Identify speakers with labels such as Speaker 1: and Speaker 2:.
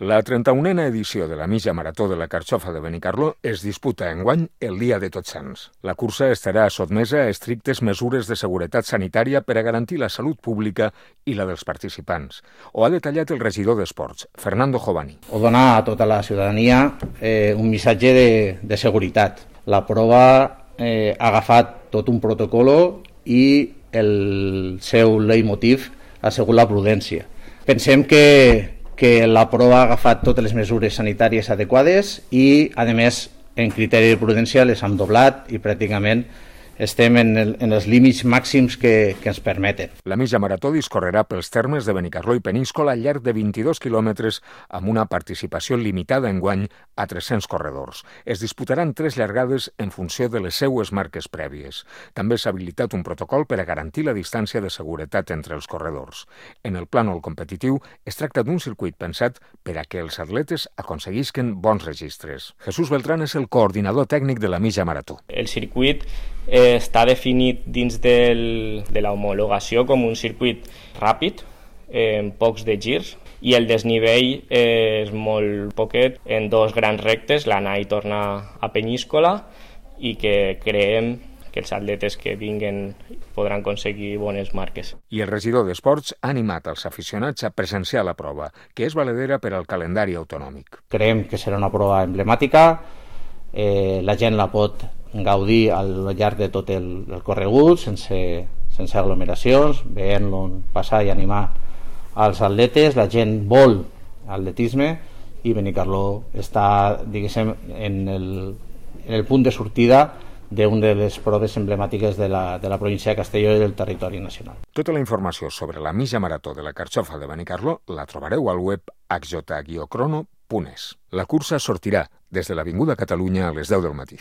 Speaker 1: La 31a edició de la mitja marató de la Carxofa de Benicarló es disputa enguany el dia de Tots Sants. La cursa estarà sotmesa a estrictes mesures de seguretat sanitària per a garantir la salut pública i la dels participants. Ho ha detallat el regidor d'Esports, Fernando Jovani.
Speaker 2: O donar a tota la ciutadania un missatge de seguretat. La prova ha agafat tot un protocolo i el seu leitmotiv ha sigut la prudència. Pensem que la prova ha agafat totes les mesures sanitàries adequades i, a més, en criteri de prudència les hem doblat i pràcticament estem en els límits màxims que ens permeten.
Speaker 1: La mitja marató discorrerà pels termes de Benicarló i Peníscola al llarg de 22 quilòmetres amb una participació limitada enguany a 300 corredors. Es disputaran 3 llargades en funció de les seues marques prèvies. També s'ha habilitat un protocol per a garantir la distància de seguretat entre els corredors. En el plànol competitiu es tracta d'un circuit pensat per a que els atletes aconseguisquen bons registres. Jesús Beltrán és el coordinador tècnic de la mitja marató.
Speaker 3: El circuit està definit dins de la homologació com un circuit ràpid, en pocs de girs, i el desnivell és molt poquet, en 2 grans rectes, l'anar i tornar a Peníscola, i que creiem que els atletes que vinguen podran aconseguir bones marques.
Speaker 1: I el regidor d'Esports ha animat els aficionats a presenciar la prova, que és valedera per al calendari autonòmic.
Speaker 2: Creiem que serà una prova emblemàtica, la gent la pot gaudir al llarg de tot el corregut sense aglomeracions, veient-lo passar i animar als atletes. La gent vol atletisme i Benicarló està, diguéssim, en el punt de sortida d'una de les proves emblemàtiques de la província de Castelló i del territori nacional.
Speaker 1: Tota la informació sobre la mitja marató de la Carxofa de Benicarló la trobareu al web hj-crono.es. La cursa sortirà des de l'Avinguda Catalunya a les 10 del matí.